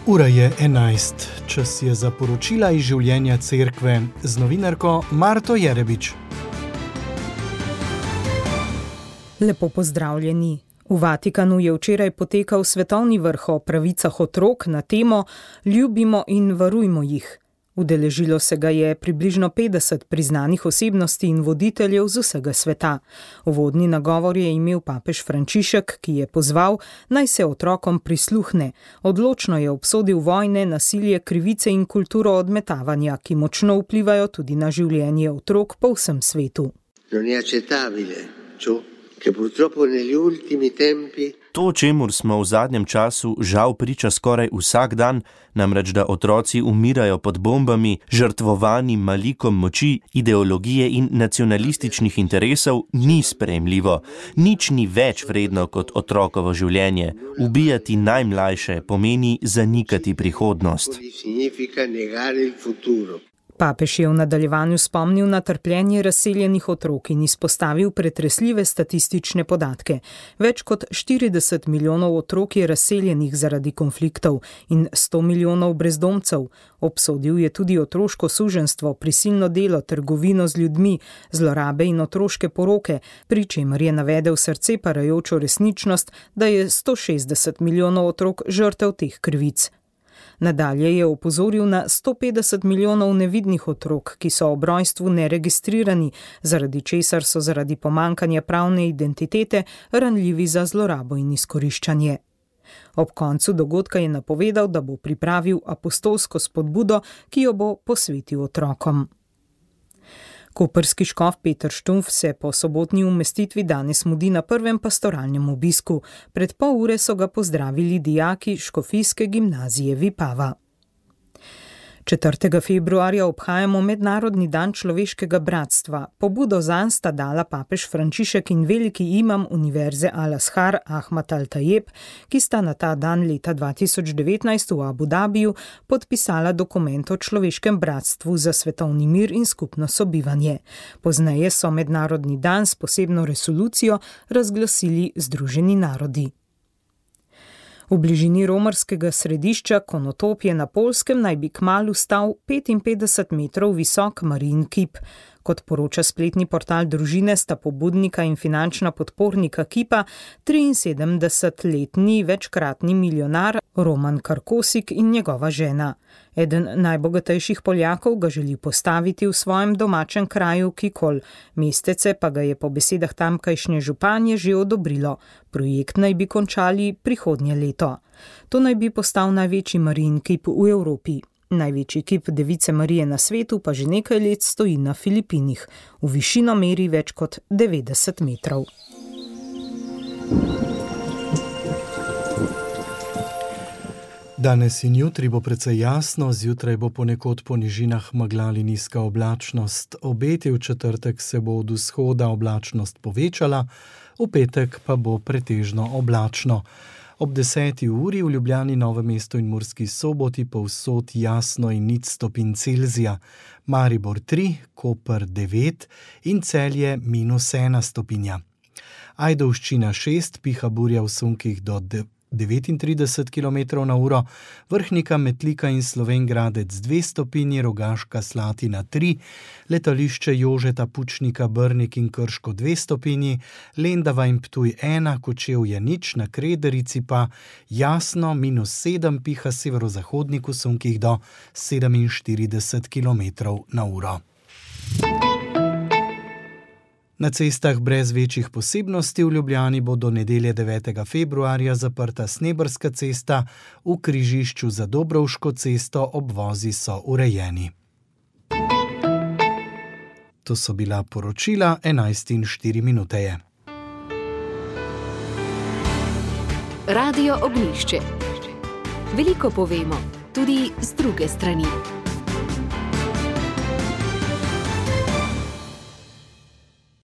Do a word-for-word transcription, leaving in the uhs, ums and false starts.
Ura je enajst, čas je za poročila iz življenja cerkve z novinarko Marto Jerebič. Lepo pozdravljeni. V Vatikanu je včeraj potekal svetovni vrh o pravicah otrok na temo Ljubimo in varujmo jih. Udeležilo se ga je približno petdeset priznanih osebnosti in voditeljev z vsega sveta. Uvodni nagovor je imel papež Frančišek, ki je pozval, naj se otrokom prisluhne. Odločno je obsodil vojne, nasilje, krivice in kulturo odmetavanja, ki močno vplivajo tudi na življenje otrok po vsem svetu. Non è accettabile ciò che purtroppo negli ultimi tempi To, čemur smo v zadnjem času žal priča skoraj vsak dan, namreč da otroci umirajo pod bombami, žrtvovani malikom moči, ideologije in nacionalističnih interesov, ni sprejemljivo. Nič ni več vredno kot otrokovo življenje. Ubijati najmlajše pomeni zanikati prihodnost. Papež je v nadaljevanju spomnil na trpljenje razseljenih otrok in izpostavil pretresljive statistične podatke. Več kot štirideset milijonov otrok je razseljenih zaradi konfliktov in sto milijonov brezdomcev. Obsodil je tudi otroško suženjstvo, prisilno delo, trgovino z ljudmi, zlorabe in otroške poroke, pri čemer je navedel srce parajočo resničnost, da je sto šestdeset milijonov otrok žrtev teh krivic. Nadalje je opozoril na sto petdeset milijonov nevidnih otrok, ki so ob rojstvu neregistrirani, zaradi česar so zaradi pomankanja pravne identitete ranljivi za zlorabo in izkoriščanje. Ob koncu dogodka je napovedal, da bo pripravil apostolsko spodbudo, ki jo bo posvetil otrokom. Koprski škof Peter Štumpf se po sobotni umestitvi danes mudi na prvem pastoralnem obisku. Pred pol ure so ga pozdravili dijaki škofijske gimnazije Vipava. četrtega februarja obhajamo Mednarodni dan človeškega bratstva. Pobudo zanj sta dala papež Frančišek in veliki imam Univerze Al-Azhar Ahmad Al-Tajeb, ki sta na ta dan leta dva tisoč devetnajst v Abu Dabiju podpisala dokument o človeškem bratstvu za svetovni mir in skupno sobivanje. Pozneje so Mednarodni dan s posebno resolucijo razglasili Združeni narodi. V bližini romarskega središča Konotopje na Poljskem naj bi kmalu stal petinpetdeset metrov visok Marijin kip. Kot poroča spletni portal družine, sta pobudnika in finančna podpornika kipa triinsedemdesetletni večkratni milijonar Roman Karkosik in njegova žena. Eden najbogatejših Poljakov ga želi postaviti v svojem domačem kraju Kikol. Mestece pa ga je po besedah tamkajšnje županje že odobrilo. Projekt naj bi končali prihodnje leto. To naj bi postal največji Marijin kip v Evropi. Največji kip Device Marije na svetu pa že nekaj let stoji na Filipinih. V višino meri več kot devetdeset metrov. Danes in jutri bo precej jasno, zjutraj bo ponekod po nižinah megla ali nizka oblačnost. Obeti v četrtek se bo od vzhoda oblačnost povečala, v petek pa bo pretežno oblačno. Ob deseti uri v Ljubljani, Novem mestu in Murski Soboti povsod jasno in nič stopinj Celzija. Maribor tri, Koper devet in Celje minus ena stopinja. Ajdovščina šest, piha burja v sunkih do devetintrideset kilometrov na uro, Vrhnika, Metlika in Slovenj Gradec dve stopinji, Rogaška Slatina tri, letališče Jožeta Pučnika, Brnik in Krško dve stopinji, Lendava in Ptuj ena, Kočevje nič, na Krederici pa jasno minus sedem, piha severozahodnik v sunkih do sedeminštirideset kilometrov na uro. Na cestah brez večjih posebnosti v Ljubljani bo do nedelje devetega februarja zaprta Sneberska cesta, v križišču za Dobrovško cesto obvozi so urejeni. To so bila poročila, enajst in štiri minute je. Radio Ognjišče. Veliko povemo, tudi z druge strani.